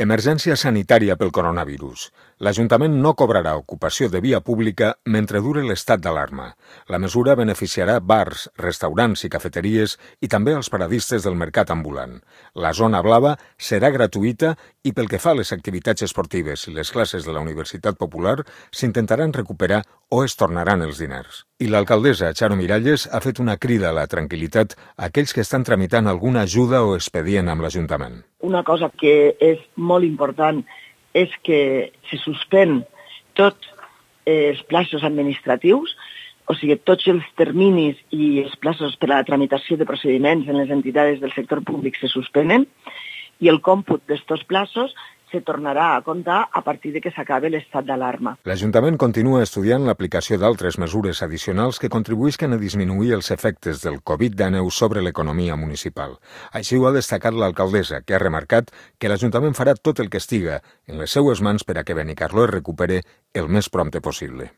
Emergència sanitària pel coronavirus. L'Ajuntament no cobrarà ocupació de via pública mentre dure l'estat d'alarma. La mesura beneficiarà bars, restaurants i cafeteries i també els paradistes del mercat ambulant. La zona blava serà gratuïta i pel que fa a les activitats esportives i les classes de la Universitat Popular s'intentaran recuperar o es tornaran els diners. I l'alcaldessa Charo Miralles ha fet una crida a la tranquil·litat a aquells que estan tramitant alguna ajuda o expedient amb l'Ajuntament. Una cosa que és molt important és que se suspèn tots els plaços administratius, o sigui, tots els terminis i els plaços per a la tramitació de procediments en les entitats del sector públic se suspenen i el còmput d'estos plaços se tornarà a comptar a partir de que s'acabi l'estat d'alarma. L'Ajuntament continua estudiant l'aplicació d'altres mesures addicionals que contribuïsquen a disminuir els efectes del Covid-19 sobre l'economia municipal. Així ho ha destacat l'alcaldessa, que ha remarcat que l'Ajuntament farà tot el que estiga en les seues mans per a que Benicarló es recupere el més prompte possible.